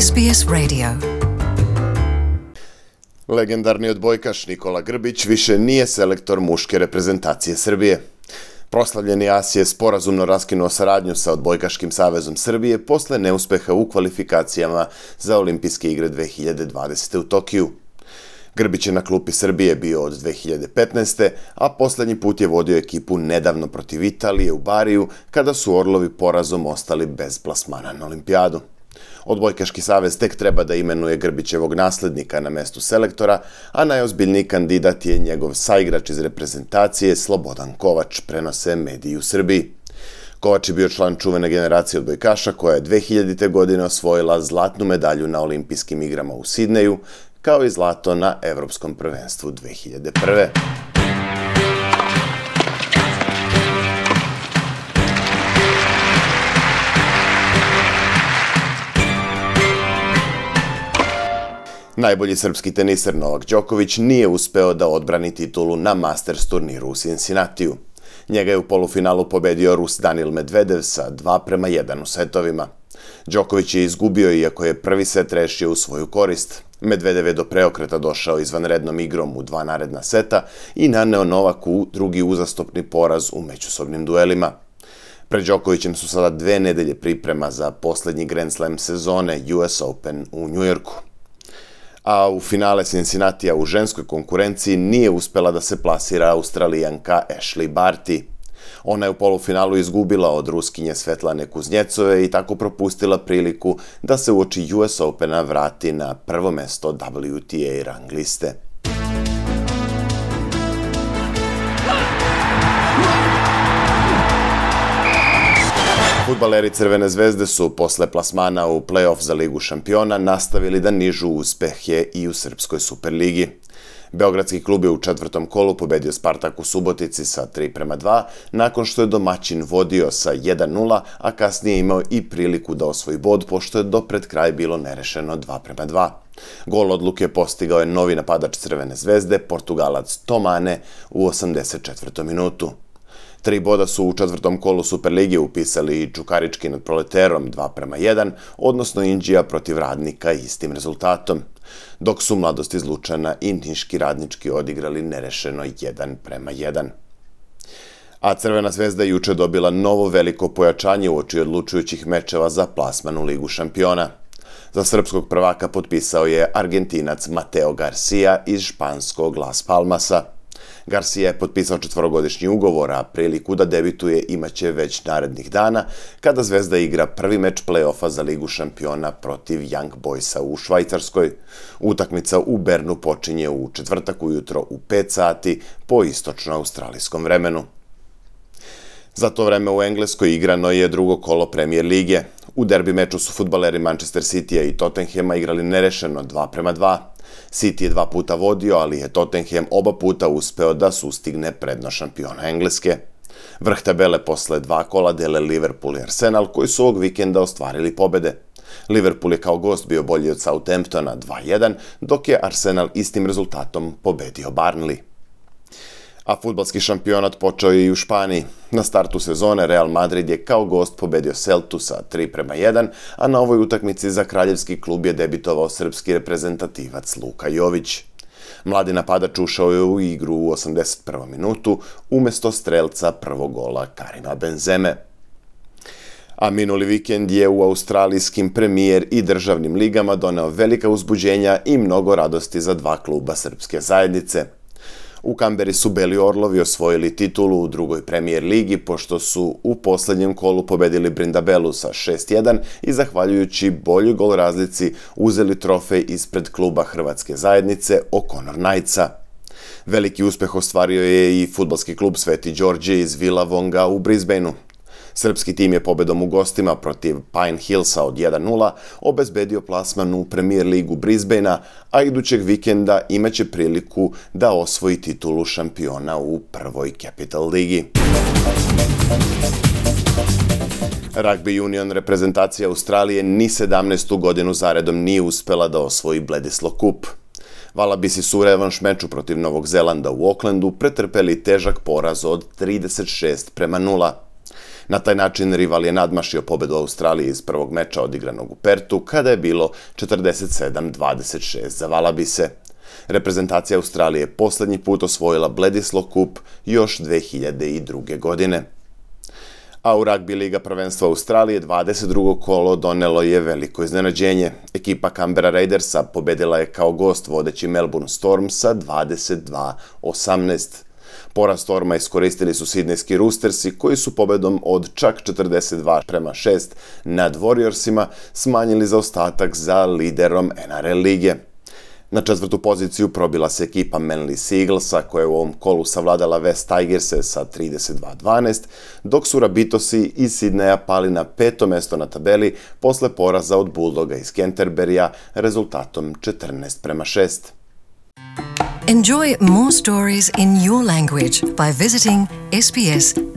SBS Radio. Legendarni odbojkaš Nikola Grbić više nije selektor muške reprezentacije Srbije. Proslavljeni as je sporazumno raskinuo saradnju sa Odbojkaškim savezom Srbije posle neuspeha u kvalifikacijama za Olimpijske igre 2020. u Tokiju. Grbić je na klupi Srbije bio od 2015. a poslednji put je vodio ekipu nedavno protiv Italije u Bariju, kada su Orlovi porazom ostali bez plasmana na olimpijadu. Odbojkaški savez tek treba da imenuje Grbićevog naslednika na mestu selektora, a najozbiljniji kandidat je njegov saigrač iz reprezentacije Slobodan Kovač, prenose mediji u Srbiji. Kovač je bio član čuvene generacije odbojkaša koja je 2000. godine osvojila zlatnu medalju na Olimpijskim igrama u Sidneju, kao i zlato na Evropskom prvenstvu 2001. Najbolji srpski teniser Novak Đoković nije uspeo da odbrani titulu na Masters turniru u Cincinnatiju. Njega je u polufinalu pobedio Rus Danil Medvedev sa 2:1 u setovima. Đoković je izgubio iako je prvi set rešio u svoju korist. Medvedev je do preokreta došao izvanrednom igrom u 2 naredna seta i naneo Novaku drugi uzastopni poraz u međusobnim duelima. Pred Đokovićem su sada 2 nedelje priprema za poslednji Grand Slam sezone US Open u Njujorku. A u finale Cincinnatija u ženskoj konkurenciji nije uspela da se plasira Australijanka Ashley Barty. Ona je u polufinalu izgubila od Ruskinje Svetlane Kuznjecove i tako propustila priliku da se uoči US Opena vrati na prvo mesto WTA rang liste. Fudbaleri Crvene zvezde su posle plasmana u play-off za Ligu šampiona nastavili da nižu uspehe i u Srpskoj Superligi. Beogradski klub je u 4. kolu pobedio Spartak u Subotici sa 3:2, nakon što je domaćin vodio sa 1:0, a kasnije imao i priliku da osvoji bod, pošto je do pred kraj bilo nerešeno 2:2. Gol odluke postigao je novi napadač Crvene zvezde, Portugalac Tomane, u 84. minutu. 3 boda su u 4. kolu Superlige upisali i Čukarički nad Proleterom 2:1, odnosno Inđija protiv Radnika istim rezultatom, dok su Mladost iz Lučana i Niški Radnički odigrali nerešeno 1:1. A Crvena zvezda juče dobila novo veliko pojačanje uoči odlučujućih mečeva za plasman u Ligu šampiona. Za srpskog prvaka potpisao je Argentinac Mateo Garcia iz španskog Las Palmasa. Garcia je potpisao 4-godišnji ugovor, a priliku da debituje imaće već narednih dana, kada Zvezda igra prvi meč play-offa za Ligu šampiona protiv Young Boysa u Švajcarskoj. Utakmica u Bernu počinje u četvrtak ujutro u 5 sati po istočno-australijskom vremenu. Za to vreme u Engleskoj igrano je drugo kolo Premier lige. U derbi meču su fudbaleri Manchester Citya i Tottenhama igrali nerešeno 2:2. City je 2 puta vodio, ali je Tottenham oba puta uspeo da sustigne prednost šampiona Engleske. Vrh tabele posle 2 kola dele Liverpool i Arsenal, koji su ovog vikenda ostvarili pobede. Liverpool je kao gost bio bolji od Southamptona 2:1, dok je Arsenal istim rezultatom pobedio Burnley. A fudbalski šampionat počeo je i u Španiji. Na startu sezone Real Madrid je kao gost pobedio Celtu sa 3:1, a na ovoj utakmici za kraljevski klub je debitovao srpski reprezentativac Luka Jović. Mladi napadač ušao je u igru u 81. minutu, umesto strelca prvog gola Karima Benzeme. A minuli vikend je u australijskim premijer i državnim ligama doneo velika uzbuđenja i mnogo radosti za 2 kluba srpske zajednice. U Kamberi su Beli Orlovi osvojili titulu u drugoj premijer ligi, pošto su u poslednjem kolu pobedili Brindabelu sa 6:1 i zahvaljujući boljoj gol razlici uzeli trofej ispred kluba Hrvatske zajednice O'Connor Knightsa. Veliki uspeh ostvario je i fudbalski klub Sveti Đorđe iz Villavonga u Brisbaneu. Srpski tim je pobedom u gostima protiv Pine Hillsa od 1:0 obezbedio plasman u Premier ligu Brisbanea, a idućeg vikenda imaće priliku da osvoji titulu šampiona u prvoj Capital ligi. Rugby union reprezentacija Australije ni 17. godinu zaredom nije uspela da osvoji Bledisloe Cup. Valabisi su u revanš meču protiv Novog Zelanda u Aucklandu pretrpeli težak poraz od 36:0. Na taj način rival je nadmašio pobedu Australije iz prvog meča odigranog u Pertu, kada je bilo 47-26 za Valabise. Reprezentacija Australije je posljednji put osvojila Bledisloe Cup još 2002. godine. A u ragbi Liga prvenstva Australije 22. kolo donelo je veliko iznenađenje. Ekipa Canberra Raidersa pobedila je kao gost vodeći Melbourne Storm sa 22-18. Poraz Storma iskoristili su sidnejski Roostersi koji su pobedom od čak 42-6 nad Warriorsima smanjili zaostatak za liderom NRL lige. Na četvrtu poziciju probila se ekipa Manly Seaglesa koja je u ovom kolu savladala West Tigerse sa 32-12, dok su Rabbitosi iz Sidneja pali na 5. mesto na tabeli posle poraza od Bulldoga iz Canterburya rezultatom 14-6. Enjoy more stories in your language by visiting sbs.com.au.